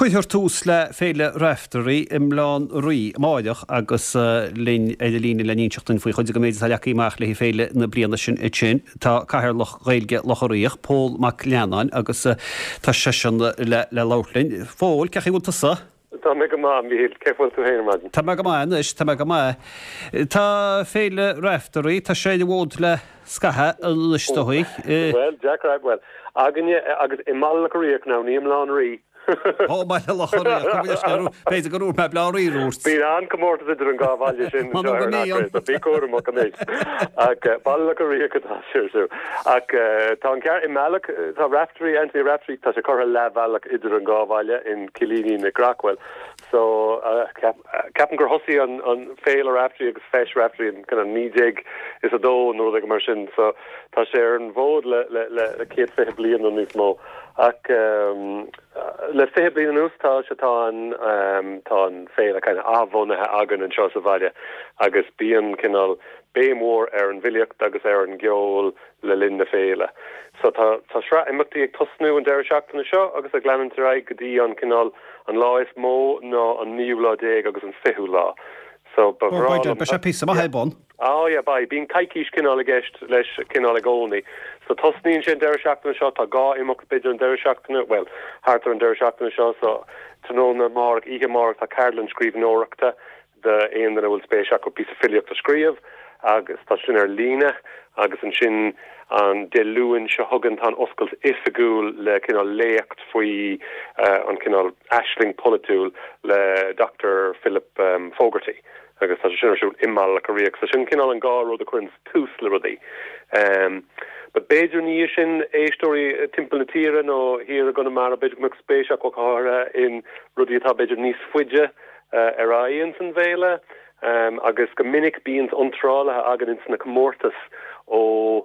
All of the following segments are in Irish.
Cuirfear tús le Féile Raifteirí i mBaile Átha an Rí amáireach agus linn ar an líne le n-inseacht duinn faoi chuid den méid atá leagtha amach le haghaidh féile na bliana sin ansin tá Cathaoirleach Ghaeilge Locha Riach, Pól Mac Leannáin agus tá seisean le labhairt linn. A Phóil, cén chaoi a bhfuil tusa? Tá mé go maith, a Mhíchíl. Cén chaoi a bhfuil tú féin ar maidin? Tá mé go maith anois, tá mé go maith. Tá Féile Raifteirí, tá sé ar an bhfód le scaitheamh anois is dóigh. Bhuel, deacair, bhuel, againne agus i mBaile Locha Riach now, ní i mBleá an Rí. Ó, i mBaile Locha Riach, gabh mo leithscéal, b'fhéidir gur dhúirt mé Bleá an Rí dúirt. Bíonn an-comórtas idir an dhá bhaile sin anseo ar an Acraidh, so bí cúramach anois. Ach Baile Locha Riach atá sé ar siúl. Ach tá an ceart, i mbealach, tá Raifteirí, Anthony Raifteirí, tá sé curtha leathbhealach idir an dhá bhaile in Cillíní na gCreachmhaoil. So, ceapaim gur thosaigh an an Féile Raifteirí agus Feis Raifteirí in kind of 1902 nó rud éigin mar sin. So, tá sé ar an bhfód le le le 120 bliain nó níos mó. Ach le 20 bliain anuas tá sé tá an tá an féile kind of athbhunaithe againn anseo sa bhaile agus bíonn cineál béim mhór ar an bhfilíocht agus ar an gceol le linn na féile. So tá tá sraith imeachtaí ag tosnú an deireadh seachtaine seo agus ag leanúint ar aghaidh go dtí an cineál an lá is mó ná an naoú lá déag agus an fichiú lá. So ba bhreá liom. Beidh sé píosa maith ar bun. Oh yeah beidh. Bíonn coicís cineál i gceist leis cineál i gcónaí. So tosnaíonn sé an deireadh seachtaine seo, tá dhá imeacht b'fhéidir an deireadh seachtaine, bhuel thart ar an deireadh seachtaine seo so tráthnóna amárach, oíche amárach tá ceardlann scríbhneoireachta d'aon duine a bhfuil spéis acu píosa filíocht a scríobh agus tá sin ar líne agus ansin an Dé Luain seo chugainn tá an oscailt oifigiúil le cineál léacht faoi an cineál aisling polaitiúil le Dr Philip Fogarty agus tá sé sin ar siúl i mBaile Locha Riach. So sin cineál an dhá rud a chuireann tús le rudaí. But b'fhéidir ina dhiaidh sin éisteoirí timpeall na tíre nó thiar i gConamara b'fhéidir go mbeadh spéis acu go háirithe in rudaí atá b'fhéidir níos faide ar aghaidh ins an bhféile agus go minic bíonn iontrálaithe againn ins na comórtais ó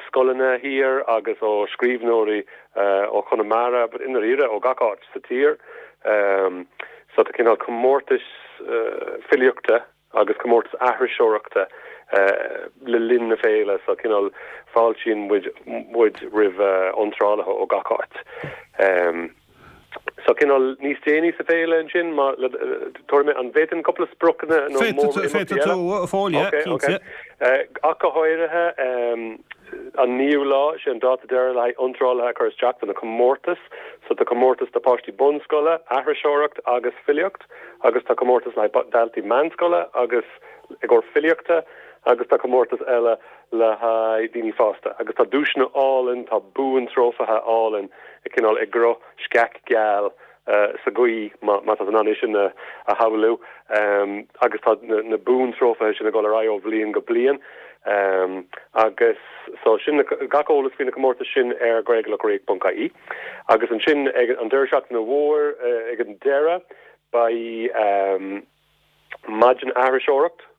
scoileanna thiar agus ó scríbhneoirí ó Chonamara but i ndáiríre ó gach áit sa tír. So tá cineál comórtais filíochta agus comórtas aithriseoireachta le linn na féile so cineál fáiltíonn muid muid roimh iontrálaithe ó gach áit. So cineál níos déanaí sa féile ansin má le tabharfaidh mé an bhféadfainn cúpla spriocanna nó mór imeachtaí eile? Féadfaidh tú a Phóil, yeah, cinnte. Ach go háirithe an naoú lá, sé an dáta deiridh le haghaidh iontrálaithe a chur isteach do na comórtais. So tá comórtas do páistí bunscoile, aithriseoireacht agus filíocht agus tá comórtas le haghaidh daltaí meánscoile agus i gcomhair filíochta agus tá comórtas eile le haghaidh daoine fásta agus tá duaiseanna álainn, tá buantrófaithe álainn cineál i gcruth sceach geal sa ghaoth, má tá tú in ann é sin a shamhlú, agus tá na buantrófaithe sin ag dul ar aghaidh ó bhliain go bliain agus so sin gach eolas faoi na comórtais sin ar gaeilgelochariach.ie agus ansin ag an deireadh seachtaine mhór ag an deireadh beidh maidin aithriseoireacht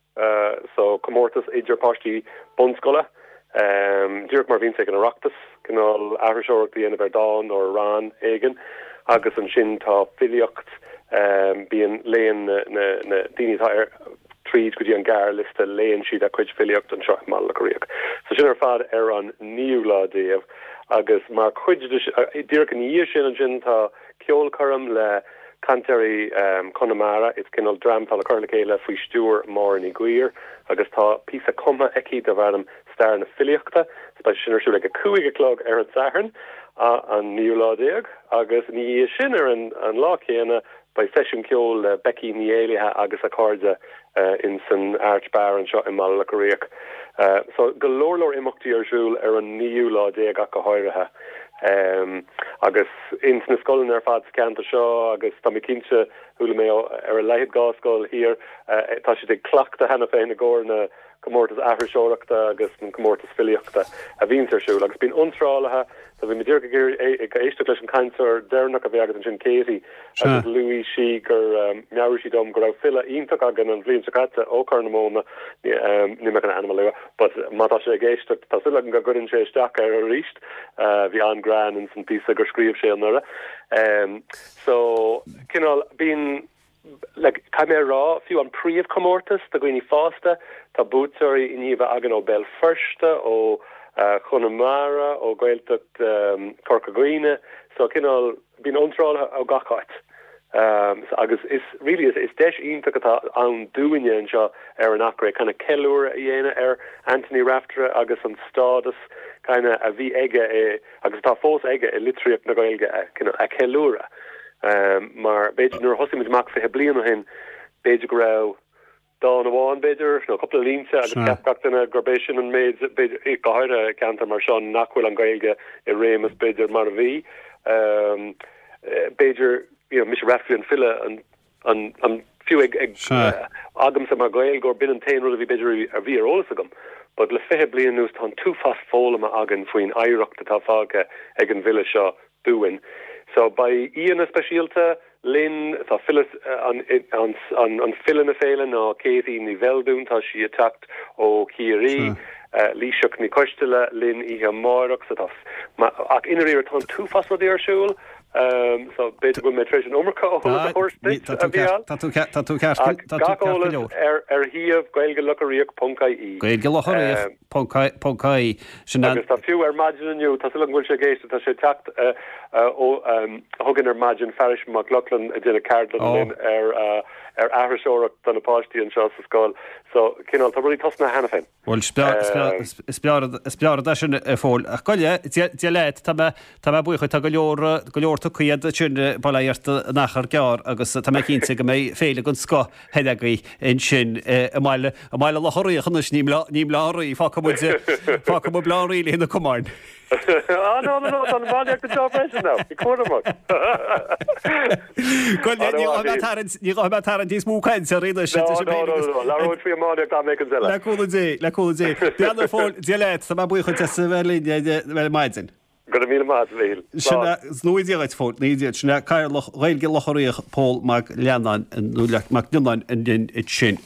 So, comórtas idir páistí bunscoile, díreach mar a bhíonns ag an Oireachtas, cineál aithriseoireacht a dhéanamh ar dán nó ar rann éigin. Agus ansin tá filíocht, bíonn, léann na daoine atá ar tríd go dtí an gearrliosta, léann siad a gcuid filíocht anseo i mBaile Locha Riach. So sin ar fad ar an naoú lá déag. Agus mar chuid de, díreach ina dhiaidh sin ansin tá ceolchoirm le Cantairí Chonamara, is cineál dream atá le cur le chéile faoi stiúir Máire Ní Ghuidhir agus tá píosa cumtha aici darb ainm Stair na Filíochta. Beidh sin ar siúl ag 5 a chlog ar an Satharn, an naoú lá déag, agus ina dhiaidh sin ar an lá céanna beidh seisiún ceoil le Becky Ní Éallaithe agus a cairde in san Arch Bar anseo i mBaile Locha Riach. So go leor leor imeachtaí ar siúl ar an naoú lá déag ach go háirithe. Agus ins na scoileanna ar fad sa cheantar seo agus tá mé cinnte, chuala mé ó ar a laghad dhá scoil thiar, tá siad ag cleachtadh cheana féin i gcomhair na comórtas aithriseoireachta agus an comórtas filíochta a bhíonns ar siúl. Agus bíonn iontrálaithe, so bhí mé díreach ag éisteacht leis an cainteoir deireanach a bhí agat ansin, Katie, agus luaigh sí gur mheabhraigh sí dom go raibh file iontach againn an bhliain seo caite ó Chorr na Móna, níl mé chun a ainm a lua, but má tá sé ag éisteacht, tá súil agam go gcuireann sé isteach air arís, bhí an-ghreann ins an píosa gur scríobh sé anuraidh. So, cineál, bíonn, like, caithfidh mé a rá, fiú an príomhchomórtas do dhaoine fásta, tá buaiteoirí i ndiaidh a bheith againn ó Bhéal Feirste, ó Chonamara, ó Ghaeltacht Chorca Dhuibhne, so cineál, Bíonn iontrálaithe ó gach áit. Agus is really is deis iontach atá ann dúinne anseo ar an Achréidh kind of ceiliúradh a dhéanamh ar Anthony Raftery agus an stádas kind of a bhí aige i agus atá fós aige i litríocht na Gaeilge a kind of a cheiliúradh. Mar b'fhéidir nuair a thosaigh muid amach 20 bliain ó shin b'fhéidir go raibh dán amháin, b'fhéidir, nó cúpla línte agus cheap gach duine gurb é sin an méid, b'fhéidir, go háirithe i gceantar mar seo nach bhfuil an Ghaeilge i réimeas, b'fhéidir, mar a bhí. B'fhéidir, you know, mise Raftery an file, an, an, an, fiú ag, ag, agamsa mar Ghaeilgeoir, b'in an t-aon rud a bhí, b'fhéidir, a bhí ar eolas agam. But le 20 bliain anuas tá an t-uafás foghlama againn faoin oidhreacht atá fágtha ag an bhfile seo dúinn. So beidh aíonna speisialta linn, tá file, an file na féile ná Katie Ní Bheildiúin, tá sí ag teacht ó Chiarraí, Laoighseach Ní Choisteala linn oíche amárach, so tá, ach i ndáiríre tá an t-uafás rudaí ar siúl, so b'fhéidir go bhfuil mé tar éis an iomarca eolas a thabhairt duit, a Mhícheáil. Tá tú ceart, tá tú ceart, tá tú ceart go leor. Gach eolas ar ar shuíomh gaeilgelocharíoch.ie. Gaeilgelocharíoch. Ponc ie. Sin an. Agus tá fiú ar maidin inniu, tá súil agam go bhfuil sé ag éisteacht, tá sé ag teacht ó chugainn ar maidin, Fearghas Mac Lochlainn ag déanamh ceardlann linn ar ar aithriseoireacht do na páistí anseo sa scoil. So, cineál, tá rudaí tosnaithe cheana féin. Bhuel, is breá is breá rud é sin, a Phóil. Ach gabh i leith, Dia leat, tá mé tá mé buíoch, tá go leor go leor tugtha agat ansin, bail ó Dhia ort in achar gearr agus tá mé cinnte go mbeidh féile den scoth thoir agaibh ansin i mBaile, i mBaile Locha Riach anois, ní i mBleá, ní i mBleá an Rí, fágfaidh muid, fágfaidh muid Bleá an Rí le na cumainn. Ah no no no, tá an iománaíocht anseo freisin now, bí cúramach. Bhuel, ní ghabhfaidh mé ag tarraingt, ní ghabhfaidh mé ag tarraingt níos mó cainte oraibh anois. No, no, no, no, labhróidh faoi iománaíocht am éicint eile. Le cúnamh Dé, le cúnamh Dé. Beannacht a Phóil, Dia leat, tá mé buíoch duit as a bheith linn ar maidin. Go raibh míle maith agat, a Mhíchíl. Sin é, 's go ngnóthaí Dia duit, a Phóil, 'S go ngnóthaí Dia duit. Sin é Cathaoirleach Ghaeilge Locha Riach, Pól Mag Leannáin, nó Mac Lionnáin, linn ansin.